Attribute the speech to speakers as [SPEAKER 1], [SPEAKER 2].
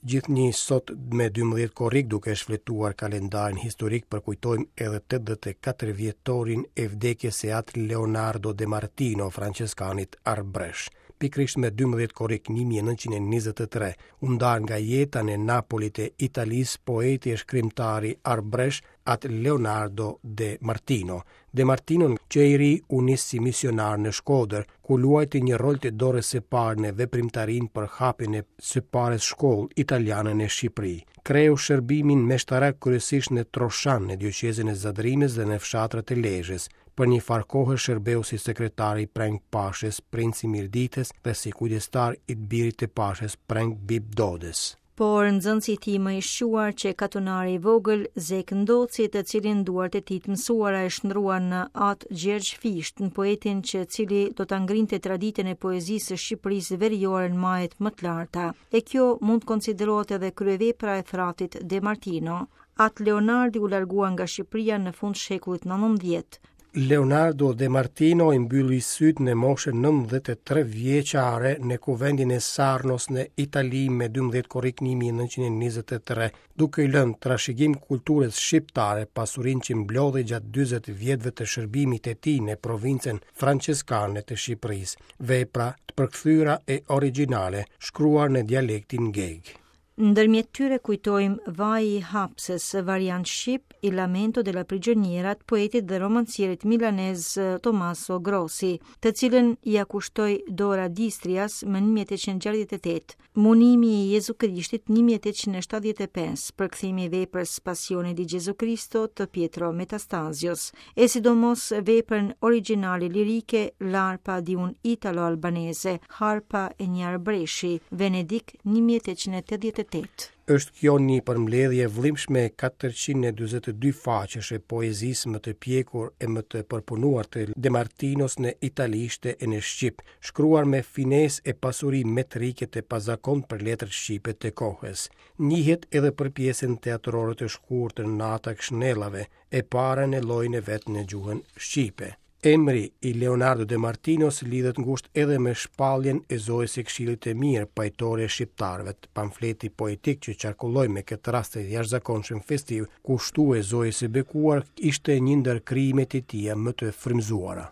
[SPEAKER 1] Gjithnjë sot me 12 korrik duke shfletuar kalendarin historik përkujtojmë edhe 84 vjetorin e vdekjes së At Leonardo De Martino, françeskanit arbresh. Pikërisht me 12 korrik 1923 u nda nga jeta në Napoli të Italisë poeti e shkrimtari arbresh At Leonardo De Martino. De Martino që i ri u nis si misionar në Shkodër, ku luajti një rol të dorës së parë në veprimtarinë për hapjen e së parës shkollë italiane në Shqipëri. Kreu shërbimin meshtarak kryesisht në Troshan, në dioqezën e Zadrimës dhe në fshatrat e Lezhës. Për një farë kohe shërbeu si sekretar i Preng Pashës, princ i Mirditës dhe si kujdestar i të birit të Pashës, Preng Bib Dodës.
[SPEAKER 2] Por nxënësi i tij më i shquar qe katunari i vogël Zekë Ndoci, të cilin duart e tij të mësuara e shndërruan në At Gjergj Fishtë, në poetin që cili do ta ngrinte traditën e poezisë së Shqipërisë veriore në majet më të larta. E kjo mund të konsiderohet edhe kryevepra e fratit De Martino. At Leonardi u largua nga Shqipëria në fund shekullit 19.
[SPEAKER 1] Leonardo De Martino i mbylli sytë në moshën 93 vjeçare në kuvendin e Sarnos në Itali me 12 korrik 1923, duke i lënë trashëgim kulturës shqiptare pasurinë që mblodhi gjatë 40 vjetëve të shërbimit të tij në provincën françeskane të Shqipërisë, vepra të përkthyera e origjinale, shkruar në dialektin gegë.
[SPEAKER 2] Ndërmjet tyre kujtojmë Vaji i Hapsës, variant shqip, Il lamento della prigioniera të poetit dhe romancierit milanez Tommaso Grossi, të cilën ia kushtoi Dora d'Istrias më 1868, Munimi i Jezu Krishtit 1875, përkthimi i veprës Passione di Gesù Cristo të Pietro Metastazios, e sidomos veprën origjinale lirike L'arpa di un italo-albanese, Harpa e një arbreshi, Venedik 1888.
[SPEAKER 1] Është kjo një përmbledhje e vëllimshme 442 faqesh e poezisë më të pjekur e më të përpunuar të De Martinos në italishte e në shqip, shkruar me finesë e pasuri metrike të pazakontë për letrat shqipe të kohës. Njihet edhe për pjesën teatrore të shkurtër Nata e Këshnellave, e para në llojin e vet në gjuhën shqipe. Emri i Leonardo De Martinos lidhet ngushtë edhe me shpalljen e Zojës së Këshillit të Mirë, pajtore e shqiptarëve. Pamfleti poetik që qarkulloi me këtë rast të jashtëzakonshëm festiv, kushtue Zojës së Bekuar, ishte një ndër krijimet e tija më të frymëzuara.